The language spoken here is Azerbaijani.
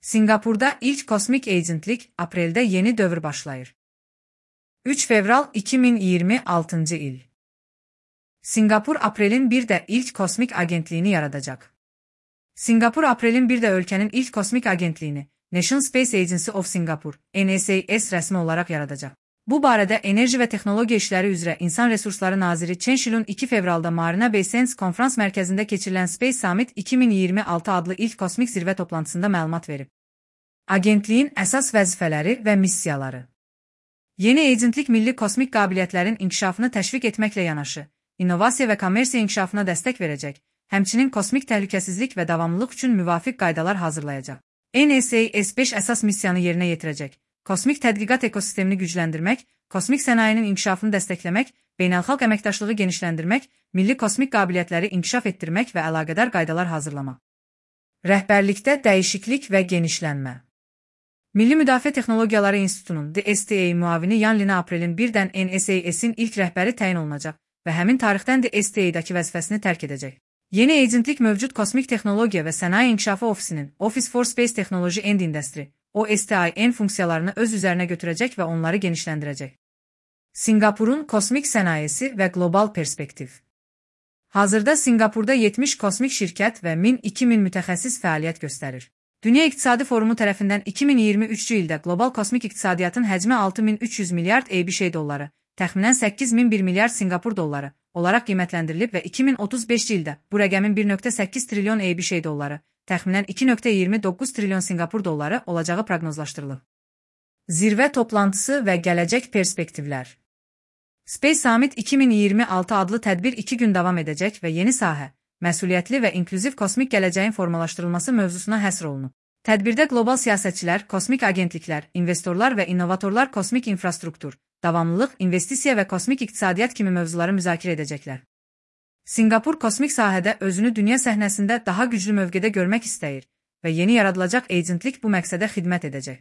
Singapurda ilk kosmik agentlik apreldə yeni dövr başlayır. 3 fevral 2026 il. Singapur aprelin 1-də ilk kosmik agentliyini yaradacaq. Singapur aprelin 1-də ölkənin ilk kosmik agentliyini National Space Agency of Singapore (NSAS) rəsmi olaraq yaradacaq. Bu barədə Enerji və Texnologiya İşləri üzrə İnsan Resursları Naziri Chen Shilun 2 fevralda Marina Bay Sands konferans mərkəzində keçirilən Space Summit 2026 adlı ilk kosmik zirvə toplantısında məlumat verib. Agentliyin əsas vəzifələri və missiyaları. Yeni agentlik milli kosmik qabiliyyətlərin inkişafını təşviq etməklə yanaşı, innovasiya və kommersiya inkişafına dəstək verəcək, həmçinin kosmik təhlükəsizlik və davamlılıq üçün müvafiq qaydalar hazırlayacaq. NSAS 5 əsas missiyanı yerinə yetirəcək. Kosmik tədqiqat ekosistemini gücləndirmək, kosmik sənayinin inkişafını dəstəkləmək, beynəlxalq əməkdaşlığı genişləndirmək, milli kosmik qabiliyyətləri inkişaf etdirmək və əlaqədar qaydalar hazırlamaq. Rəhbərlikdə dəyişiklik və genişlənmə. Milli Müdafiə Texnologiyaları İnstitutunun DSTA müavini Yan Lina aprelin 1-dən NSAS-in ilk rəhbəri təyin olunacaq və həmin tarixdən DSTA-dakı vəzifəsini tərk edəcək. Yeni agentlik mövcud Kosmik Texnologiya və Sənaye İnkişafı Ofisinin Office for Space Technology and Industry (OSTIN) funksiyalarını öz üzərinə götürəcək və onları genişləndirəcək. Singapurun kosmik sənayesi və qlobal perspektiv. Hazırda Singapurda 70 kosmik şirkət və 1000-2000 mütəxəssis fəaliyyət göstərir. Dünya İqtisadi Forumu tərəfindən 2023-cü ildə qlobal kosmik iqtisadiyyatın həcmi 6300 milyard ABŞ dolları, təxminən 8001 milyard Singapur dolları olaraq qiymətləndirilib və 2035-ci ildə bu rəqəmin 1.8 trilyon ABŞ dolları, təxminən 2.29 trilyon Singapur dolları olacağı proqnozlaşdırılıb. Zirvə toplantısı və gələcək perspektivlər. Space Summit 2026 adlı tədbir 2 gün davam edəcək və yeni sahə, məsuliyyətli və inklüziv kosmik gələcəyin formalaşdırılması mövzusuna həsr olunub. Tədbirdə qlobal siyasətçilər, kosmik agentliklər, investorlar və innovatorlar kosmik infrastruktur, davamlılıq, investisiya və kosmik iqtisadiyyat kimi mövzuları müzakirə edəcəklər. Singapur kosmik sahədə özünü dünya səhnəsində daha güclü mövqedə görmək istəyir və yeni yaradılacaq agentlik bu məqsədə xidmət edəcək.